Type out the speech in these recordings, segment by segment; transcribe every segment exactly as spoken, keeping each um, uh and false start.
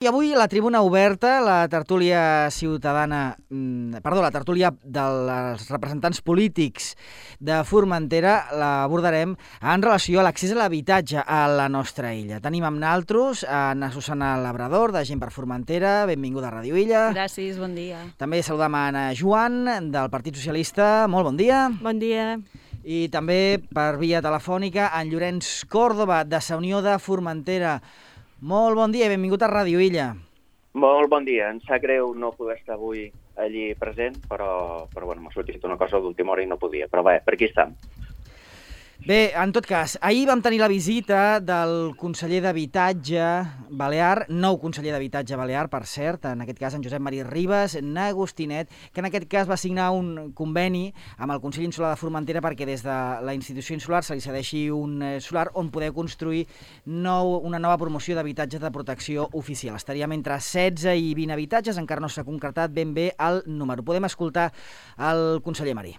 I avui la tribuna oberta, la tertúlia ciutadana, perdó, la tertúlia dels representants polítics de Formentera l'abordarem en relació a l'accés a l'habitatge a la nostra illa. Tenim amb naltros a Anna Susana Labrador, de Gent per Formentera. Benvinguda a Ràdio Illa. Gràcies, bon dia. També saludam a Anna Joan, del Partit Socialista. Molt bon dia. Bon dia. I també per via telefònica en Llorenç Còrdova, de Sa Unió de Formentera. Molt bon dia i benvingut a Ràdio Illa. Molt bon dia. Em sap greu no poder estar avui allí present, però, però bueno, m'ha sortit una cosa d'última hora i no podia. Però bé, per aquí estem. Bé, en tot cas, ahir vam tenir la visita del conseller d'Habitatge balear, nou conseller d'Habitatge balear, per cert, en aquest cas en Josep Maria Ribas Nagostinet, que en aquest cas va signar un conveni amb el Consell Insular de Formentera perquè des de la institució insular se li cedeixi un solar on poder construir nou, una nova promoció d'habitatges de protecció oficial. Estaríem entre setze i vint habitatges, encara no s'ha concretat ben bé el número. Podem escoltar el conseller Marí.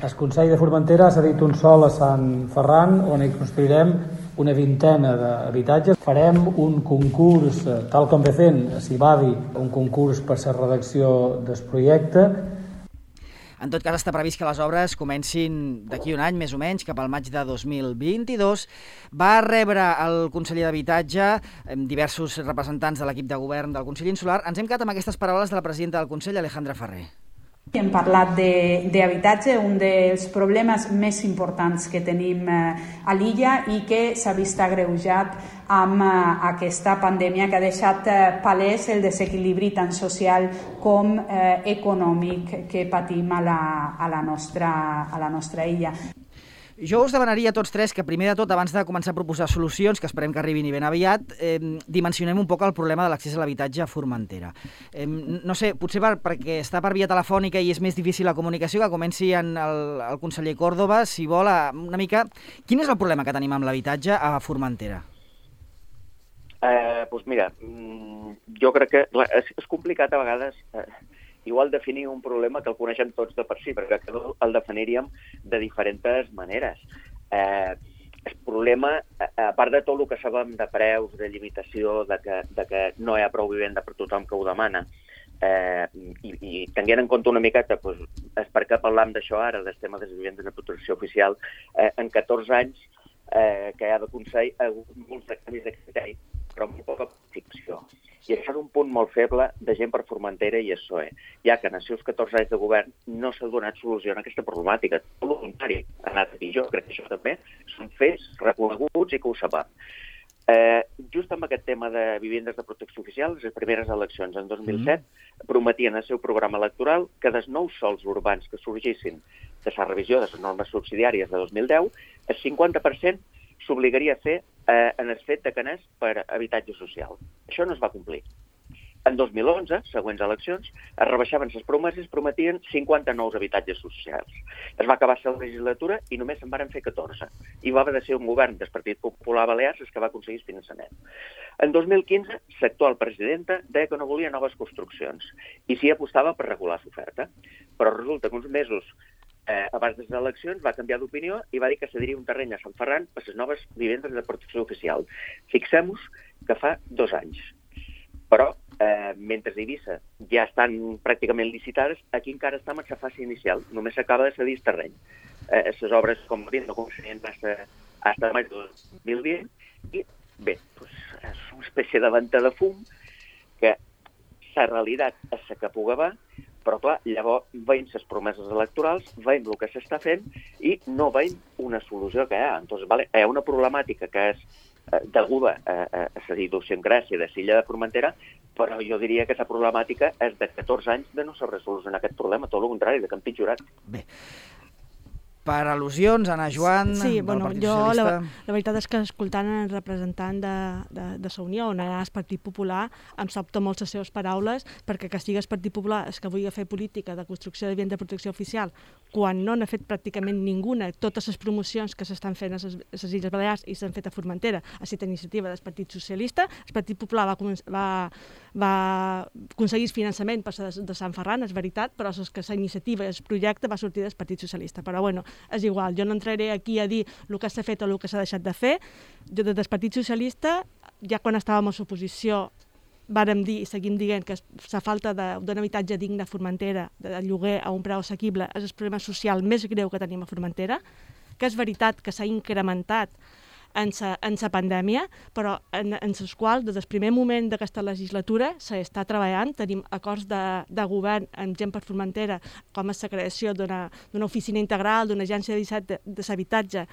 El Consell de Formentera s'ha dit un sol a Sant Ferran, on hi construirem una vintena d'habitatges. Farem un concurs, tal com ve fent a Cibadi, un concurs per la redacció del projecte. En tot cas, està previst que les obres comencin d'aquí un any, més o menys, cap al maig de dos mil vint-i-dos. Va rebre el conseller d'Habitatge diversos representants de l'equip de govern del Consell Insular. Ens hem quedat amb aquestes paraules de la presidenta del Consell, Alejandra Ferrer. Hem parlat d'habitatge, un dels problemes més importants que tenim a l'illa i que s'ha vist agreujat amb aquesta pandèmia que ha deixat palès el desequilibri tant social com econòmic que patim a la, a la, nostra, a la nostra illa. Jo us demanaria a tots tres que, primer de tot, abans de començar a proposar solucions, que esperem que arribin i ben aviat, eh, dimensionem un poc el problema de l'accés a l'habitatge a Formentera. Eh, no sé, potser per, perquè està per via telefònica i és més difícil la comunicació, que comenci en el, el conseller Còrdova, si vol, una mica... Quin és el problema que tenim amb l'habitatge a Formentera? Eh, doncs mira, jo crec que és, és complicat a vegades... Eh, igual definir un problema que el coneixem tots de per si, perquè el definiríem de diferents maneres. Eh, el problema, a part de tot el que sabem de preus, de limitació, de que, de que no hi ha prou vivenda per tothom que ho demana, eh, i, i tenint en compte una miqueta, doncs, és per què parlam d'això ara, del tema de les vivendes de protecció oficial, eh, en catorze anys eh, que hi ha de Consell ha hagut molts de canvis de criteri, però amb poca planificació. I això és un punt molt feble de Gent per Formentera i el P S O E, ja que en els seus catorze anys de govern no s'ha donat solució a aquesta problemàtica. Tot el contrari, ha anat pitjor. Crec que això també són fets reconeguts i que ho sabem. Eh, just amb aquest tema de vivendes de protecció oficial, les primeres eleccions en dos mil set mm. prometien al seu programa electoral que dels nous sols urbans que sorgissin de la revisió de les normes subsidiàries de dos mil deu, el cinquanta per cent s'obligaria a fer eh, en el fet de que anés per habitatge social. Això no es va complir. En dos mil onze, següents eleccions, es rebaixaven les promeses, prometien cinquanta nous habitatges socials. Es va acabar la legislatura i només se'n van fer catorze. I va haver de ser un govern del Partit Popular Balears el que va aconseguir el finançament. En dos mil quinze, l'actual presidenta deia que no volia noves construccions i s'hi apostava per regular l'oferta. Però resulta que uns mesos Eh, abans de les eleccions va canviar d'opinió i va dir que cediria un terreny a Sant Ferran per les noves vivendes de protecció oficial. Fixem-nos que fa dos anys. Però, eh, mentre a Eivissa ja estan pràcticament licitades, aquí encara estem en la fase inicial. Només s'acaba de cedir el terreny. Eh, les obres, com a dit, no començarien fins a maig de dos mil vint i, bé, doncs, és una espècie de venta de fum que la realitat és la que puga va, però clar, llavors veiem les promeses electorals, veiem el que s'està fent i no veiem una solució que hi ha. Entonces, vale, hi ha una problemàtica que és eh, deguda a, a, a la idiosincràsia de l'illa de Formentera, però jo diria que la problemàtica és de catorze anys de no saber solucionar aquest problema, tot el contrari, de que han pitjorat. Bé. Per al·lusions, Anna Joan, sí, del bueno, Partit jo, Socialista... La, la veritat és que escoltant el representant de, de, de Sa Unió, on anà el Partit Popular, em sobta molt les seves paraules, perquè que sigui el Partit Popular és que vull fer política de construcció de vivendes de protecció oficial, quan no n'ha fet pràcticament ninguna, totes les promocions que s'estan fent a les, a les Illes Balears i s'han fet a Formentera, ha estat iniciativa del Partit Socialista, el Partit Popular va, va, va aconseguir el finançament per de, de Sant Ferran, és veritat, però és que la iniciativa i el projecte va sortir del Partit Socialista. Però bueno, és igual, jo no entraré aquí a dir el que s'ha fet o el que s'ha deixat de fer. Jo des del Partit Socialista, ja quan estàvem a l'oposició, vàrem dir i seguim dient que la falta d'un habitatge digne a Formentera, de lloguer a un preu assequible, és el problema social més greu que tenim a Formentera, que és veritat que s'ha incrementat en la pandèmia, però en, en els quals, des del primer moment d'aquesta legislatura, s'està treballant. Tenim acords de, de govern amb gent per Formentera, com és la creació d'una oficina integral, d'una agència de, de l'habitatge,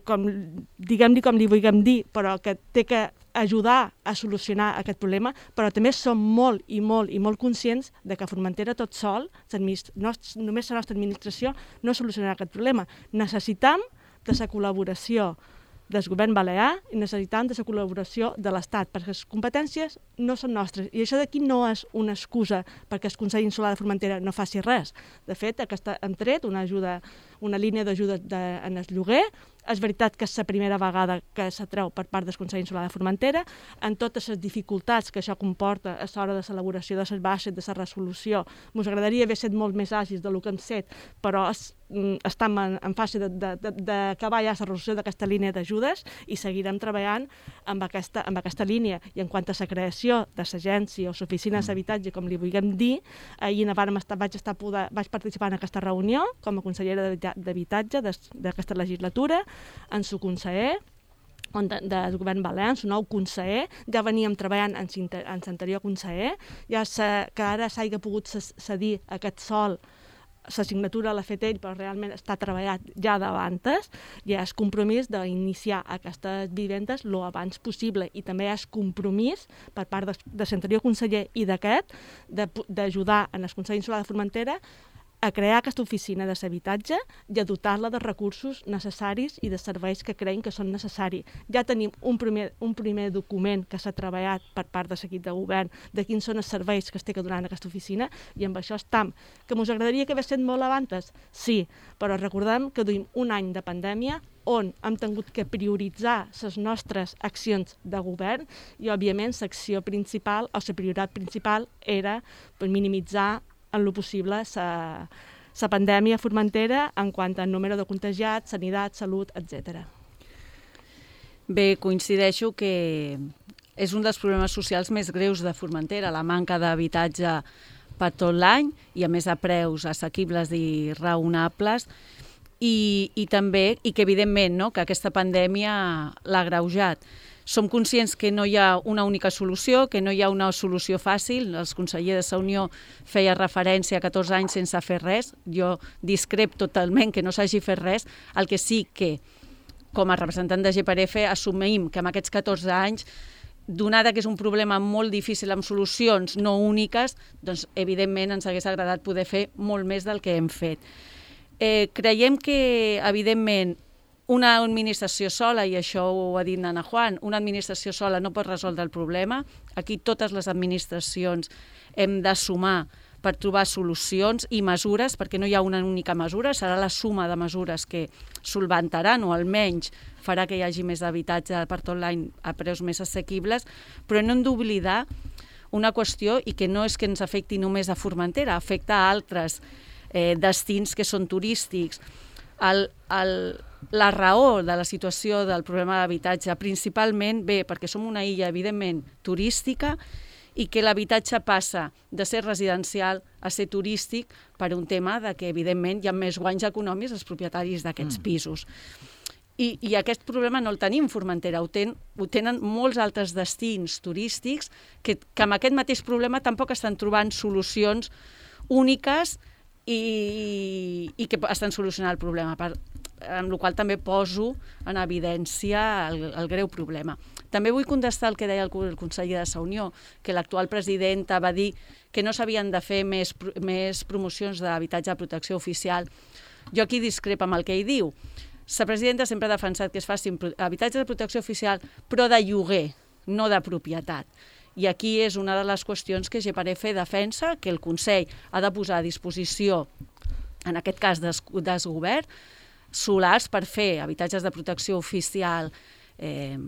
com, diguem-li com li vulguem dir, però que té que ajudar a solucionar aquest problema, però també som molt i molt i molt conscients de que a Formentera tot sol, no, només la nostra administració, no solucionarà aquest problema. Necessitam de la col·laboració del govern balear i necessitam de la col·laboració de l'Estat, perquè les competències no són nostres. I això d'aquí no és una excusa perquè el Consell Insular de Formentera no faci res. De fet, aquesta, hem tret una, ajuda, una línia d'ajuda en el lloguer. És veritat que és la primera vegada que s'atreu per part del Consell Insular de Formentera, en totes les dificultats que això comporta a l'hora de l'elaboració de les baixes, de la resolució. Ens agradaria haver estat molt més àgils del que hem set, però es, estem en, en fase d'acabar ja la resolució d'aquesta línia d'ajudes i seguirem treballant amb aquesta, amb aquesta línia. I en quant a la creació de l'agència o l'oficina d'habitatge, com li vulguem dir, ahir estar, vaig, estar poder, vaig participar en aquesta reunió com a consellera d'habitatge d'aquesta legislatura, en su conseller, on de, del govern balear, en su nou conseller, ja veníem treballant en l'anterior conseller, ja se, que ara s'hagi pogut cedir aquest sol, la signatura l'ha fet ell, però realment està treballat ja d'abans, hi ha el compromís d'iniciar aquestes vivendes el abans possible i també hi ha el compromís per part de, de l'anterior conseller i d'aquest d'ajudar en el Consell Insular de Formentera a crear aquesta oficina de l'habitatge i a dotar-la de recursos necessaris i de serveis que creiem que són necessaris. Ja tenim un primer, un primer document que s'ha treballat per part de l'equip de govern de quins són els serveis que es té que donar en aquesta oficina i amb això estam. Que ens agradaria que hagués estat molt abans? Sí, però recordem que duim un any de pandèmia on hem tingut que prioritzar les nostres accions de govern i, òbviament, l'acció principal o la prioritat principal era per minimitzar en lo possible la pandèmia a Formentera en quant a número de contagiats, sanitat, salut, etcètera. Bé, coincideixo que és un dels problemes socials més greus de Formentera, la manca d'habitatge per tot l'any i a més a preus assequibles i raonables i, i també, i que evidentment no, que aquesta pandèmia l'ha agreujat. Som conscients que no hi ha una única solució, que no hi ha una solució fàcil. El conseller de la Unió feia referència a catorze anys sense fer res. Jo discrep totalment que no s'hagi fet res. El que sí que, com a representant de G per F, assumim que en aquests catorze anys, donada que és un problema molt difícil amb solucions no úniques, doncs evidentment ens hagués agradat poder fer molt més del que hem fet. Eh, creiem que, evidentment, una administració sola, i això ho ha dit Ana Juan, una administració sola no pot resoldre el problema. Aquí totes les administracions hem de sumar per trobar solucions i mesures, perquè no hi ha una única mesura, serà la suma de mesures que solventaran o almenys farà que hi hagi més habitatge per tot l'any a preus més assequibles, però no hem d'oblidar una qüestió i que no és que ens afecti només a Formentera, afecta a altres eh, destins que són turístics. El, el, la raó de la situació del problema d'habitatge principalment ve perquè som una illa evidentment turística i que l'habitatge passa de ser residencial a ser turístic per un tema de que evidentment hi ha més guanys econòmics als propietaris d'aquests mm. pisos. I, I aquest problema no el tenim a Formentera, ho, ten, ho tenen molts altres destins turístics que, que amb aquest mateix problema tampoc estan trobant solucions úniques i, i que estan solucionant el problema, per, amb la qual també poso en evidència el, el greu problema. També vull contestar el que deia el, el conseller de la Unió, que l'actual presidenta va dir que no s'havien de fer més, més promocions d'habitatge de protecció oficial. Jo aquí discrepo amb el que ell diu. La presidenta sempre ha defensat que es facin habitatges de protecció oficial, però de lloguer, no de propietat. I aquí és una de les qüestions que G per F defensa, que el Consell ha de posar a disposició, en aquest cas des, des govern, solars per fer habitatges de protecció oficial eh,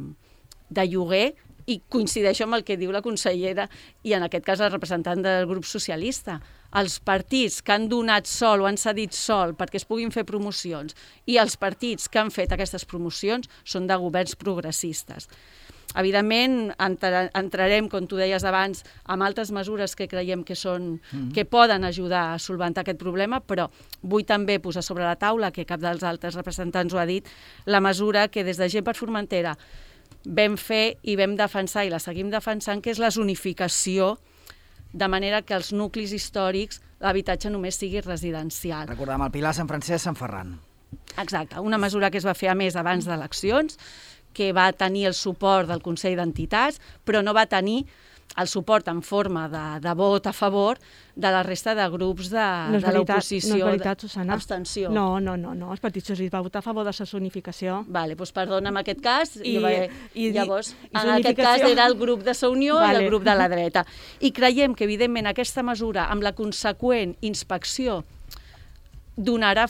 de lloguer, i coincideixo amb el que diu la consellera i en aquest cas el representant del grup socialista. els partits que han donat sol o han cedit sol perquè es puguin fer promocions i els partits que han fet aquestes promocions són de governs progressistes. Evidentment, entrarem, com tu deies abans, amb altres mesures que creiem que, són, mm. que poden ajudar a solventar aquest problema, però vull també posar sobre la taula, que cap dels altres representants ho ha dit, la mesura que des de Gent per Formentera vam fer i vam defensar i la seguim defensant, que és la zonificació, de manera que els nuclis històrics l'habitatge només sigui residencial. Recordem el Pilar, Sant Francesc, Sant Ferran. Exacte, una mesura que es va fer a més abans d'eleccions, que va tenir el suport del Consell d'Entitats, però no va tenir el suport en forma de, de vot a favor de la resta de grups de, no de l'oposició. No és veritat, Susana. Abstenció. No, no, no, no. Els partits socialistes va votar a favor de la zonificació. Vale, doncs perdona, en aquest cas, I, jo va, i, llavors, i en aquest cas era el grup de Sa Unió vale. I el grup de la dreta. I creiem que, evidentment, aquesta mesura, amb la conseqüent inspecció, donarà,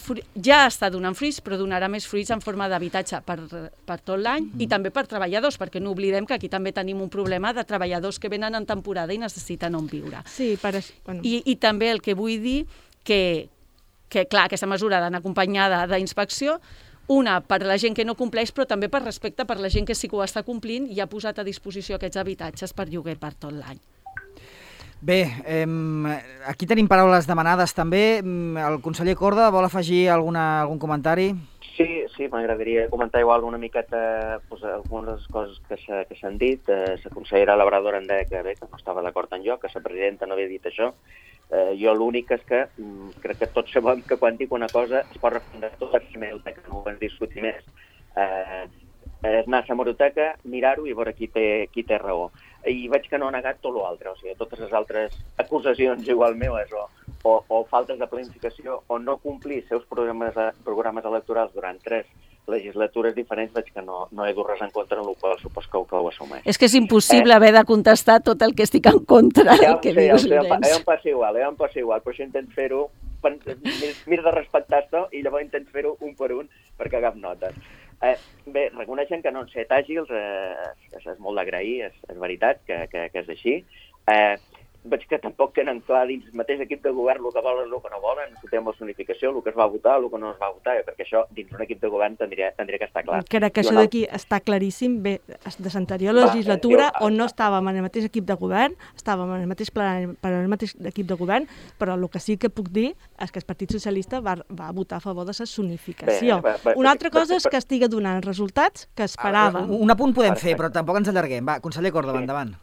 ja està donant fruits, però donarà més fruits en forma d'habitatge per, per tot l'any mm. i també per treballadors, perquè no oblidem que aquí també tenim un problema de treballadors que venen en temporada i necessiten on viure. Sí, per això. Bueno. I, I també el que vull dir que, que clar, aquesta mesura d'anar acompanyada d'inspecció, una per la gent que no compleix, però també per respecte per la gent que sí que ho està complint i ha posat a disposició aquests habitatges per lloguer per tot l'any. Bé, eh, aquí tenim paraules demanades també. El conseller Corda vol afegir alguna, algun comentari? Sí, sí, m'agradaria comentar igual una miqueta pues, algunes coses que s'han dit. Eh, la consellera Labrador em deia que, bé, que no estava d'acord en jo, que la presidenta no havia dit això. Eh, jo l'únic és que mm, crec que tots sabem que quan dic una cosa es pot refundar tot a la hemeroteca, no ho hem discutit més. Eh, és anar a la hemeroteca, mirar-ho i veure qui té, qui té raó. I veig que no ha negat tot l'altre, o sigui, totes les altres acusacions igual meves o, o, o faltes de planificació o no complir seus programes, programes electorals durant tres legislatures diferents, veig que no, no he dut res en contra, en el qual supos que, que ho assumeix. És que és impossible eh? haver de contestar tot el que estic en contra ja del que sé, dius, ja Llorenç. Ja em passa igual, ja em passa igual, però això intent fer-ho, mir de respectar-te i llavors intent fer-ho un per un per cagar notes. Eh, bé, reconeixen que no han set àgils, eh, és, és molt d'agrair, és, és veritat que, que, que és així. Eh, veig que tampoc tenen clar dins el mateix equip de govern el que volen i el que no volen, el tema de la zonificació, el que es va votar, el que no es va votar, perquè això dins un equip de govern tindria, tindria que estar clar. Crec que això d'aquí està claríssim, bé, de l'anterior legislatura, va, on no estàvem en el mateix equip de govern, estàvem en el mateix plenari per al mateix equip de govern, però el que sí que puc dir és que el Partit Socialista va, va votar a favor de la zonificació. Bé, bé, bé, Una altra cosa és que estigui donant resultats que esperàvem. Un apunt podem fer, però tampoc ens allarguem. Va, conseller Córdoba, endavant.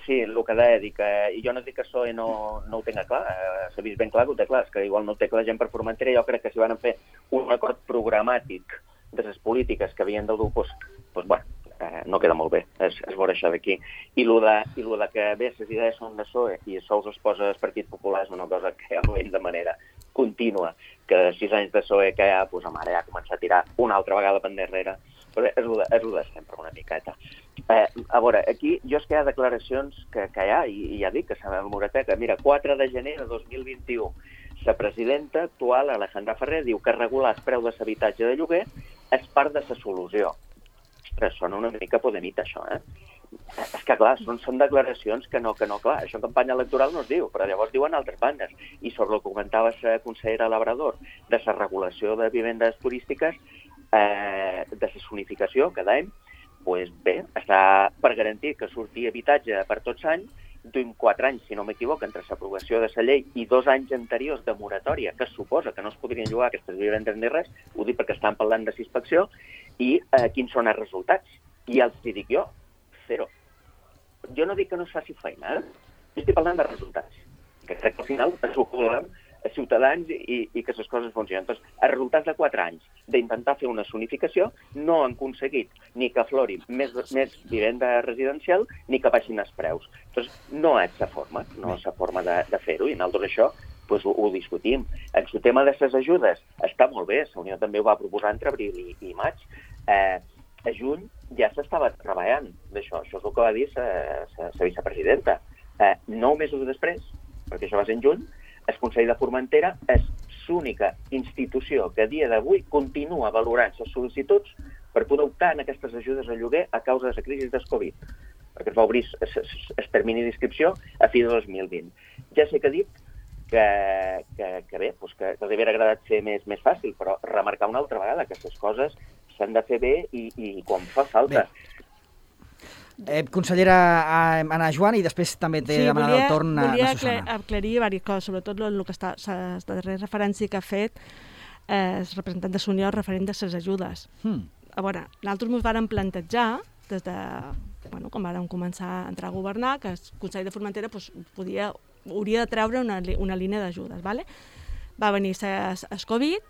Sí, el que deia, dic, eh, i jo no dic que això no, no ho tenga clar, eh, s'ha vist ben clar que ho té clar, és que igual no ho té clar Gent per Formentera, jo crec que si van fer un acord programàtic de les polítiques que havien de dur, doncs, doncs bueno, eh, no queda molt bé, es, es veurà això d'aquí. I el de, i lo de que bé, les idees són de P S O E i sols es posa el Partit Popular és una cosa que ja ho veiem de manera contínua, que de sis anys de P S O E que ja, doncs, mare, ja comença a tirar una altra vegada per endarrere, però és el de, és el de sempre, una miqueta. Eh, a veure, aquí jo és que hi ha declaracions que, que hi ha, i, i ja dic que s'ha memorateca. Mira, quatre de gener de dos mil vint-i-u, la presidenta actual, Alejandra Ferrer, diu que regular el preu de l'habitatge de lloguer és part de la solució. Ostres, sona una mica podemita, això, eh? És que, clar, són, són declaracions que no, que no, clar, això en campanya electoral no es diu, però llavors diuen altres bandes. I sobre el que comentava la consellera Labrador, de la regulació de vivendes turístiques, eh, de la zonificació cada any, pues bé, està per garantir que surti habitatge per tots anys, duim quatre anys, si no m'equivoco, entre l'aprovació de la llei i dos anys anteriors de moratòria, que es suposa que no es podrien llogar aquestes vivendes ni res, ho dic perquè estan parlant de inspecció, i eh, quins són els resultats. I els dic jo, zero. Jo no dic que no es faci feina, eh? Jo estic parlant de resultats, que crec que al final es ho volem a ciutadans i, i que les coses funcionen. Doncs, els resultats de quatre anys d'intentar fer una zonificació no han aconseguit ni que aflori més, més vivenda residencial ni que baixin els preus. Doncs no és la forma, no és la forma de, de fer-ho, i nosaltres això pues, ho, ho discutim. El tema de les ajudes està molt bé, la Unió també ho va proposar entre abril i, i maig. Eh, a juny ja s'estava treballant d'això, això és el que va dir la vicepresidenta. Eh, nou mesos després, perquè això va ser en juny, el Consell de Formentera és l'única institució que a dia d'avui continua valorant les sol·licituds per poder optar en aquestes ajudes a lloguer a causa de la crisi del Covid, perquè es va obrir el termini d'inscripció a fi de dos mil vint. Ja sé que ha dit que, que, que bé, doncs que, que els hauria agradat ser més, més fàcil, però remarcar una altra vegada que aquestes coses s'han de fer bé i, i quan fa falta. Bé. Eh, consellera Anna Joan, i després també t'he sí, demanat volia, el torn a, volia a Susana. Volia aclarir diverses coses, sobretot el, el que està, la darrera referència que ha fet eh, el representant de Unió referent de les ajudes. Hmm. A veure, nosaltres ens vàrem plantejar, des de, bueno, quan vàrem començar a entrar a governar, que el Consell de Formentera pues, podia, hauria de treure una, una línia d'ajudes. ¿vale? Va venir el Covid,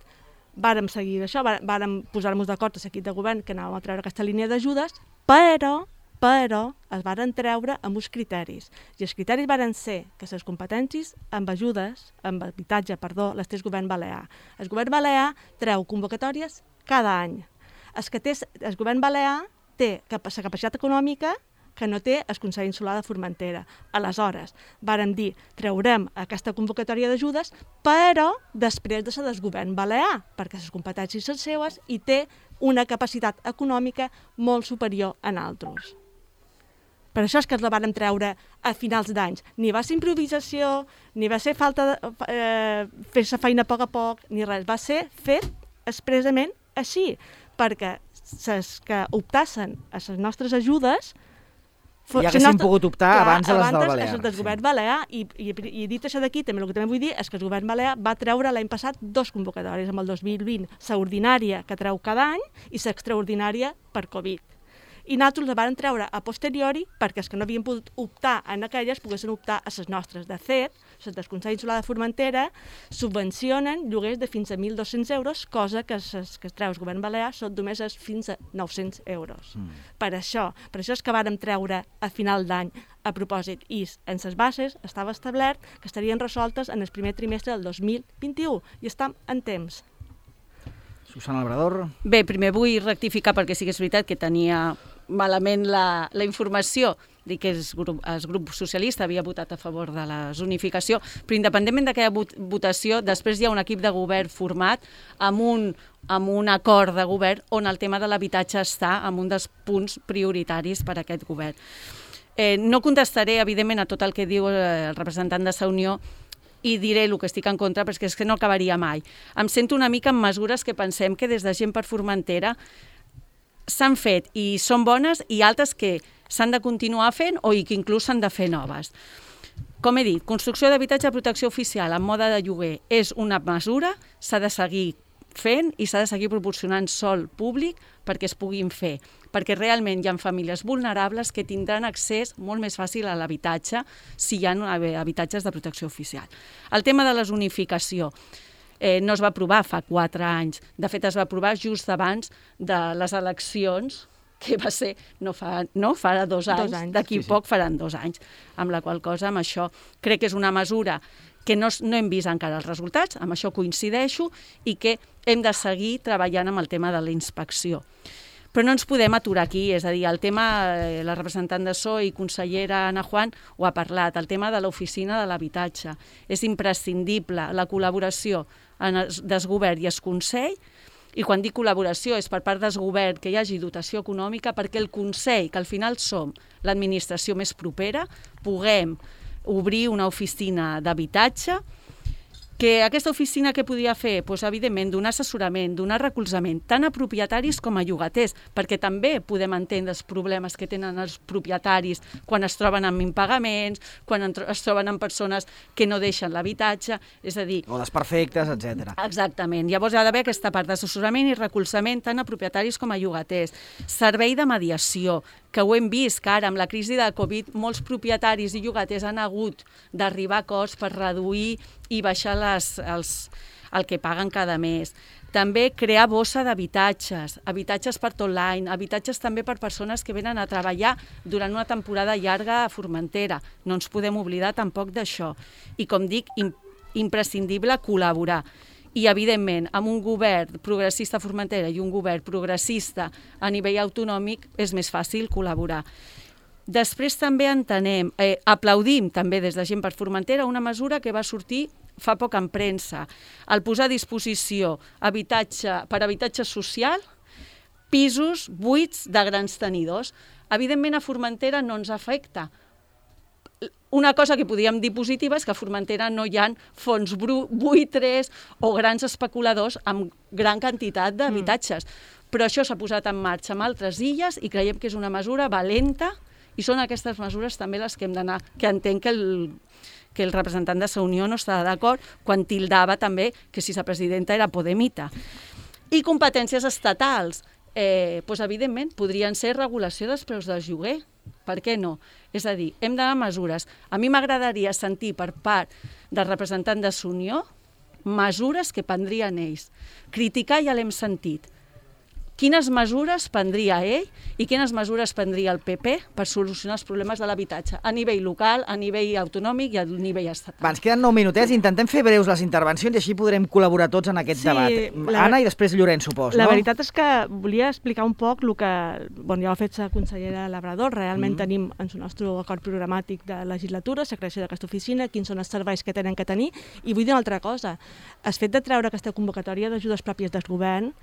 vàrem seguir això, vàrem posar-nos d'acord a l'equip de govern que anàvem a treure aquesta línia d'ajudes, però però es varen treure amb uns criteris. I els criteris varen ser que les competències amb ajudes, amb habitatge, perdó, les té el govern balear. El govern balear treu convocatòries cada any. El, que té, el govern balear té la capacitat econòmica que no té el Consell Insular de Formentera. Aleshores, vàrem dir, traurem aquesta convocatòria d'ajudes, però després de ser del govern balear, perquè les competències són seues i té una capacitat econòmica molt superior a nosaltres. Per això és que els la vàrem treure a finals d'anys. Ni va ser improvisació, ni va ser falta de eh, fer la feina a poc a poc, ni res. Va ser fet expressament així, perquè les que optassen a les nostres ajudes ja haguessin nostre... pogut optar clar, abans de les del Balear. Abans del govern sí. balear, i, i, i dit això d'aquí, també el que també vull dir és que el govern balear va treure l'any passat dos convocatòries, amb el dos mil vint, l'extraordinària que treu cada any i l'extraordinària per Covid. I nosaltres la vàrem treure a posteriori perquè els que no havien pogut optar en aquelles poguessin optar a les nostres. De fet, les del Consell Insular de Formentera subvencionen lloguers de fins a mil dos-cents euros, cosa que els que es treu el govern balear són només fins a nou-cents euros. Mm. Per això, per això és que vàrem treure a final d'any a propòsit. I en les bases estava establert que estarien resoltes en el primer trimestre del dos mil vint-i-u i estem en temps. Susana Labrador. Bé, primer vull rectificar perquè sí que és veritat que tenia malament la, la informació, dir que el grup, el grup socialista havia votat a favor de la zonificació, però independentment d'aquella votació, després hi ha un equip de govern format amb un, amb un acord de govern on el tema de l'habitatge està en un dels punts prioritaris per a aquest govern. Eh, no contestaré, evidentment, a tot el que diu el representant de Sa Unió, i diré el que estic en contra, perquè és que no acabaria mai. Em sento una mica en mesures que pensem que des de Gent per Formentera s'han fet i són bones i altres que s'han de continuar fent o i que inclús s'han de fer noves. Com he dit, construcció d'habitatge de protecció oficial en mode de lloguer és una mesura, s'ha de seguir fent i s'ha de seguir proporcionant sòl públic perquè es puguin fer, perquè realment hi ha famílies vulnerables que tindran accés molt més fàcil a l'habitatge si hi ha habitatges de protecció oficial. El tema de la zonificació eh, no es va aprovar fa quatre anys, de fet es va aprovar just abans de les eleccions, que va ser no fa, no, farà dos anys, dos anys. d'aquí sí, sí. poc faran dos anys, amb la qual cosa amb això crec que és una mesura que no, no hem vist encara els resultats, amb això coincideixo, i que hem de seguir treballant amb el tema de la inspecció. Però no ens podem aturar aquí, és a dir, el tema, eh, la representant de S O I i consellera Anna Juan ho ha parlat, el tema de l'oficina de l'habitatge. És imprescindible la col·laboració en el desgovern i el Consell, i quan dic col·laboració és per part del govern que hi hagi dotació econòmica perquè el Consell, que al final som l'administració més propera, puguem obrir una oficina d'habitatge, que aquesta oficina què podia fer? Pues, evidentment, donar assessorament, donar recolzament, tant a propietaris com a llogaters, perquè també podem entendre els problemes que tenen els propietaris quan es troben amb impagaments, quan es troben amb persones que no deixen l'habitatge, és a dir... O desperfectes, etcètera. Exactament. Llavors hi ha d'haver aquesta part d'assessorament i recolzament tant a propietaris com a llogaters. Servei de mediació, que ho hem vist, que ara amb la crisi de Covid molts propietaris i llogaters han hagut d'arribar a acords per reduir i baixar les, els, el que paguen cada mes. També crear bossa d'habitatges, habitatges per tot l'any, habitatges també per persones que venen a treballar durant una temporada llarga a Formentera. No ens podem oblidar tampoc d'això. I com dic, imprescindible col·laborar. I, evidentment, amb un govern progressista a Formentera i un govern progressista a nivell autonòmic és més fàcil col·laborar. Després també entenem, eh, aplaudim també des de Gent per Formentera una mesura que va sortir fa poc en premsa, el posar a disposició habitatge, per habitatge social, pisos buits de grans tenidors. Evidentment a Formentera no ens afecta, una cosa que podríem dir positiva és que a Formentera no hi ha fons buitres o grans especuladors amb gran quantitat d'habitatges. Mm. Però això s'ha posat en marxa amb altres illes i creiem que és una mesura valenta i són aquestes mesures també les que hem d'anar, que entenc que el, que el representant de Sa Unió no està d'acord quan tildava també que si la presidenta era podemita. I competències estatals, eh, doncs evidentment podrien ser regulació dels preus del lloguer. Per què no? És a dir, hem d'anar a mesures. A mi m'agradaria sentir per part del representant de Sa Unió mesures que prendrien ells. Criticar ja l'hem sentit. Quines mesures prendria ell i quines mesures prendria el P P per solucionar els problemes de l'habitatge a nivell local, a nivell autonòmic i a nivell estatal. Va, ens queden nou minutets, intentem fer breus les intervencions i així podrem col·laborar tots en aquest sí, debat. La... Anna i després Llorenç, supos, la no? La veritat és que volia explicar un poc el que bon, ja ho ha fet la consellera Labrador. Realment mm. tenim en el nostre acord programàtic de legislatura la creació d'aquesta oficina, quins són els serveis que tenen que tenir, i vull dir una altra cosa. El fet de treure aquesta convocatòria d'ajudes pròpies del govern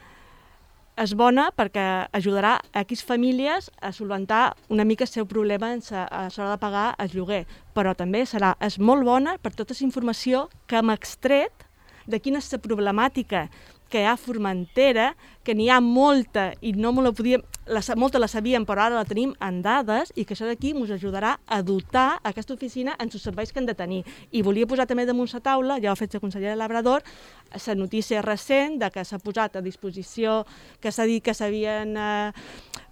és bona perquè ajudarà a X famílies a solventar una mica el seu problema a l'hora de pagar el lloguer, però també serà és molt bona per tota la informació que hem extret de quina és la problemàtica que hi ha a Formentera, que n'hi ha molta i no me la podíem, la, molta la sabíem però ara la tenim en dades i que això d'aquí ens ajudarà a dotar aquesta oficina en els serveis que han de tenir. I volia posar també damunt la taula, ja ho ha fet la consellera Labrador, la notícia recent de que s'ha posat a disposició, que s'ha dit que s'havien eh,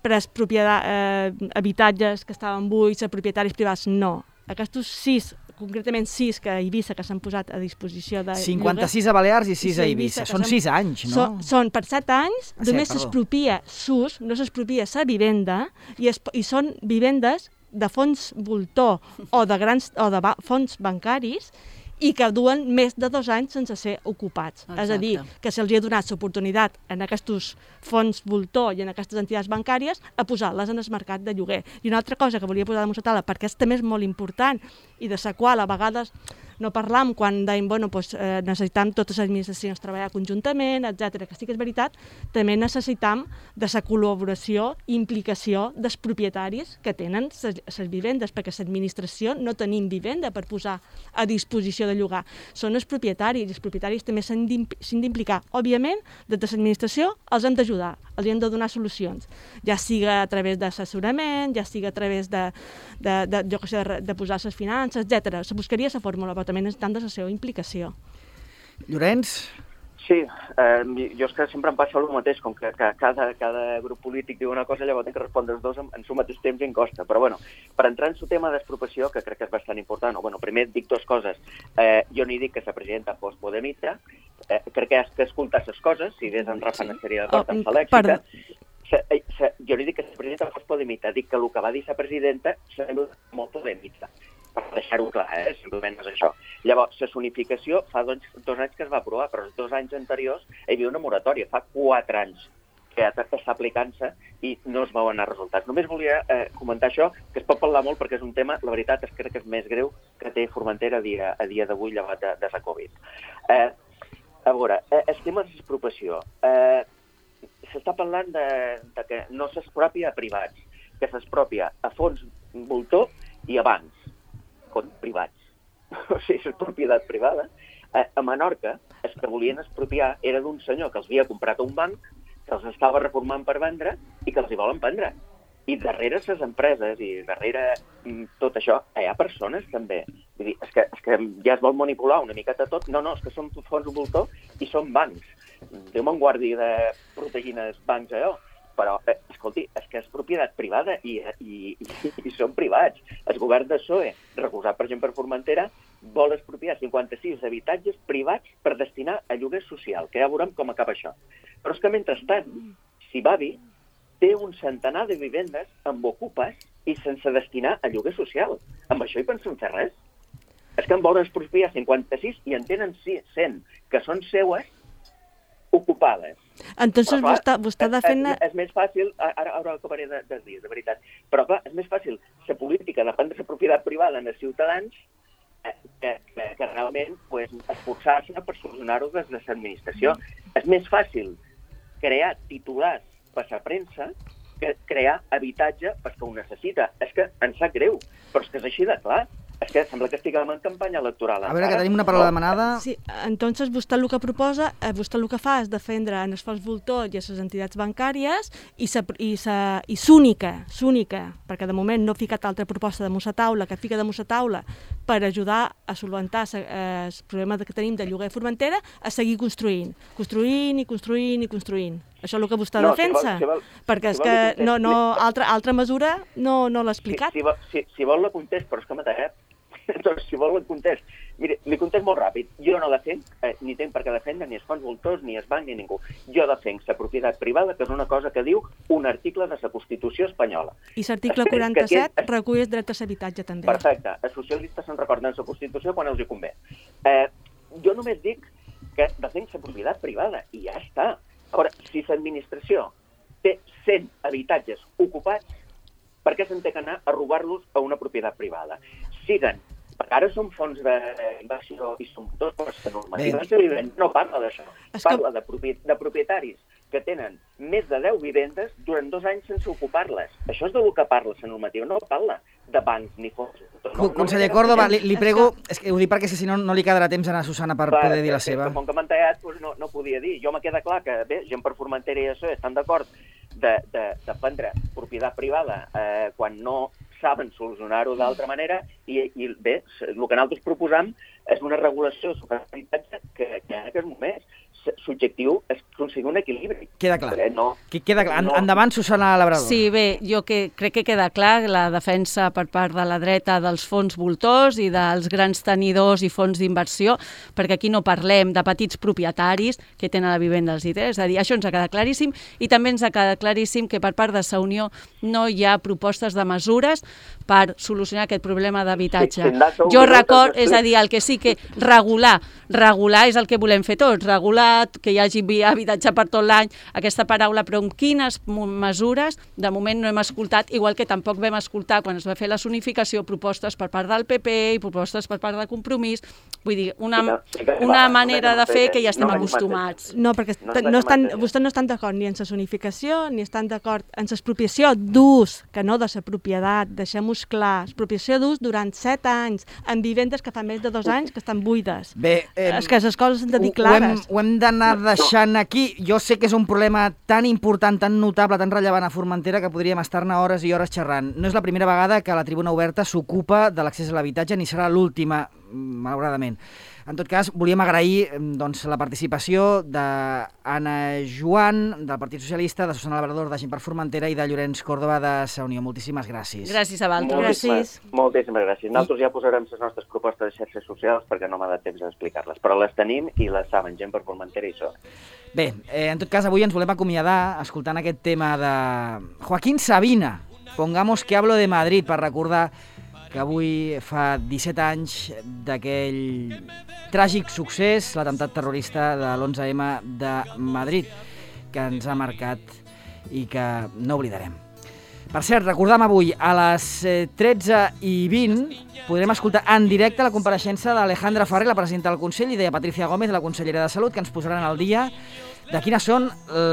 pres eh, habitatges que estaven buits a propietaris privats. No, aquests sis concretament sis que a Eivissa que s'han posat a disposició de cinquanta-sis a Balears i sis a Eivissa. Són sis anys, no? Són, són per set anys, ah, només s'expropia s'ús, no s'expropia sa vivenda, i, es, i són vivendes de fons voltor o de, grans, o de ba, fons bancaris i que duen més de dos anys sense ser ocupats. Exacte. És a dir, que se'ls ha donat l'oportunitat en aquests fons voltor i en aquestes entitats bancàries a posar-les en el mercat de lloguer. I una altra cosa que volia posar damunt la taula, perquè és també és molt important i de la qual a vegades no parlam quan dèiem, bueno, doncs, eh, necessitam totes les administracions treballar conjuntament, etcètera, que sí que és veritat, també necessitam de la col·laboració i implicació dels propietaris que tenen les vivendes, perquè l'administració no tenim vivenda per posar a disposició de llogar. Són els propietaris, i els propietaris també s'han d'implicar. Òbviament, des de l'administració els hem d'ajudar, els hem de donar solucions, ja siga a través d'assessorament, ja siga a través de, de, de, jo que sé, de, de posar les finances, etcètera. Se buscaria la fórmula, però també necessitem de la seva implicació. Llorenç? Sí, eh, jo és que sempre em passa el mateix, com que, que cada, cada grup polític diu una cosa, llavors tinc que respondre els dos en, en el mateix temps i en costa. Però bueno, per entrar en el tema d'expropiació, que crec que és bastant important, o bueno, primer dic dues coses. Eh, jo ni dic que la presidenta fos podemita, eh, crec que has d'escoltar les coses, si des en Rafa n'estaria d'acord amb la lèxica. Se, se, jo ni dic que la presidenta fos podemita, dic que el que va dir la presidenta sembla molt podemita. Per deixar-ho clar, eh? Simplement és això. Llavors, la zonificació fa dos, dos anys que es va aprovar, però els dos anys anteriors hi havia una moratòria, fa quatre anys que està aplicant-se i no es veuen els resultats. Només volia eh, comentar això, que es pot parlar molt perquè és un tema, la veritat és que crec que és més greu que té Formentera a dia, a dia d'avui llevat de, de la Covid. Eh, a veure, eh, el tema de l'expropiació. Eh, S'està parlant de, de que no s'expropia a privats, que s'expropia a fons voltor i a bancs. Privats. O sigui, és propietat privada. A, a Menorca, els que volien expropiar era d'un senyor que els havia comprat a un banc, que els estava reformant per vendre i que els hi volen prendre. I darrere les empreses i darrere tot això hi ha persones també. Vull dir, és que, és que ja es vol manipular una miqueta tot. No, no, és que són fons voltor i són bancs. Déu me'n guardi de protegir els bancs allò. Però, eh, escolti, és que és propietat privada i, i, i, i són privats. El govern de P S O E, recolzat per exemple per Formentera, vol expropiar cinquanta-sis habitatges privats per destinar a lloguer social, que ja veurem com acaba això. Però és que, mentrestant, Sibavi té un centenar de vivendes amb ocupes i sense destinar a lloguer social. Amb això hi pensem fer res? És que en volen expropiar cinquanta-sis i en tenen cent que són seues ocupades. Entonces clar, vostè, vostè és, defensa... És, és més fàcil, ara, ara acabaré de, de dir, de veritat, però clar, és més fàcil la política de prendre la propietat privada en els ciutadans eh, que, que, que realment pues, esforçar-se per solucionar-ho des de l'administració. És més fàcil crear titulars per la premsa que crear habitatge perquè ho necessita. És que ens sap greu, però és que és així de clar. És que sembla que estiguem en campanya electoral. A veure, que tenim una paraula demanada. Sí, entonces vostè el que proposa, eh, vostè el que fa és defendre en els fons voltor i a les entitats bancàries i sa, i sa, i s'única, s'única, perquè de moment no ha ficat altra proposta de Musa Taula, que fica de Musa Taula per ajudar a solventar eh, el problema que tenim de lloguer a Formentera, a seguir construint, construint i construint i construint. Això és el que vostè No, defensa, si vol- si vol- perquè és si vol que li contesti. no, no, altra, altra mesura no, no l'ha explicat. Si, si, vol, si, si vol la contest, però és que m'ha tallat. Doncs si vol la contest. Mire, li contest molt ràpid. Jo no defenc, eh, ni tenc per què defendre ni els fons voltors, ni els bancs, ni ningú. Jo defenc la propietat privada, que és una cosa que diu un article de la Constitució espanyola. I l'article Espera, quaranta-set que aquí- recull el dret a l'habitatge també. Perfecte. Els socialistes se'n recorden la Constitució quan els hi convé. Eh, jo només dic que defensa propietat privada i ja està. Ara, si l'administració té cent habitatges ocupats, per què se'n té que anar a robar-los a una propietat privada? Siguen, perquè ara són fons d'inversió i són tots per la normativa de vivenda, no parla d'això. Parla de, propiet de propietaris que tenen més de deu vivendes durant dos anys sense ocupar-les. Això és del que parla la normativa, no parla de bancs ni fons. No, Conseller Córdoba, li, li prego, és que ho dic perquè si no, no li quedarà temps a Susana per Clar, poder dir la que, seva. Com que m'han tallat, doncs no, no podia dir. Jo me queda clar que, bé, gent per Formentera i això estan d'acord de, de, de prendre propietat privada eh, quan no saben solucionar-ho d'altra manera i, i bé, el que nosaltres proposam és una regulació sobre l'habitatge que, que en aquest moment subjectiu és aconseguir un equilibri. Queda clar. Eh, no, Queda clar. no. Endavant, Susana Labrador. Sí, bé, jo que crec que queda clar la defensa per part de la dreta dels fons voltors i dels grans tenidors i fons d'inversió, perquè aquí no parlem de petits propietaris que tenen la vivenda als I T, és a dir, això ens ha quedat claríssim, i també ens ha quedat claríssim que per part de la Unió no hi ha propostes de mesures per solucionar aquest problema d'habitatge. Sí, sí, jo record, és a dir, el que sí que regular, regular és el que volem fer tots, regular, que hi hagi habitatge per tot l'any, aquesta paraula, però amb quines mesures de moment no hem escoltat, igual que tampoc vam escoltar quan es va fer la zonificació propostes per part del P P i propostes per part de Compromís, vull dir, una, Sí, no, sí que- una va, manera no de fer no que ja estem no acostumats. No, perquè No no, ens no estan, deixem vostès no estan d'acord ni en la zonificació, ni estan d'acord en l'expropiació d'ús, que no de la propietat, deixem-ho clar, expropiació d'ús durant set anys, en vivendes que fa més de dos anys que estan buides. Bé, eh, És que les coses s'han de dir ho, ho hem, clares. ho hem d'anar deixant aquí. Jo sé que és un problema tan important, tan notable, tan rellevant a Formentera que podríem estar-ne hores i hores xerrant. No és la primera vegada que la Tribuna Oberta s'ocupa de l'accés a l'habitatge, ni serà l'última, malauradament. En tot cas, volíem agrair doncs, la participació d'Anna Joan, del Partit Socialista, de Susana Labrador, de Gent per Formentera, i de Llorenç Córdoba, de Sa Unió. Moltíssimes gràcies. Gràcies a vosaltres. Gràcies. Moltíssimes, moltíssimes gràcies. Nosaltres ja posarem les nostres propostes de xarxes socials perquè no m'ha de temps d'explicar-les, però les tenim i les saben, Gent per Formentera i això. Bé, eh, en tot cas, avui ens volem acomiadar escoltant aquest tema de Joaquín Sabina, Pongamos que hablo de Madrid, per recordar que avui fa disset anys d'aquell tràgic succés, l'atemptat terrorista de l'onze eme de Madrid, que ens ha marcat i que no oblidarem. Per cert, recordam avui, a les tretze i vint, podrem escoltar en directe la compareixença d'Alejandra Ferrer, la presidenta del Consell, i de Patricia Gómez, la consellera de Salut, que ens posaran al dia de quines són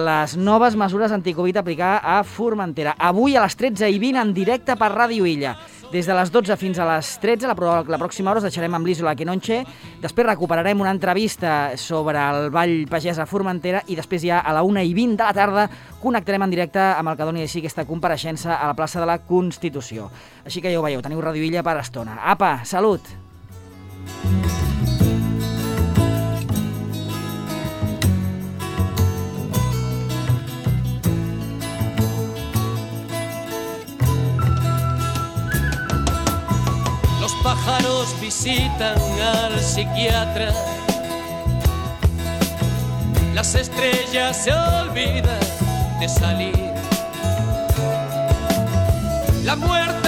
les noves mesures anticovid a aplicar a Formentera. Avui a les tretze i vint en directe per Ràdio Illa. Des de les dotze fins a les tretze, la, la pròxima hora us deixarem amb l'Isola Quenonche, després recuperarem una entrevista sobre el Ball Pagès a Formentera i després ja a la una i vint de la tarda connectarem en directe amb el que doni així aquesta compareixença a la plaça de la Constitució. Així que ja ho veieu, teniu Ràdio Illa per estona. Apa, salut! Los pájaros visitan al psiquiatra, las estrellas se olvidan de salir, la muerte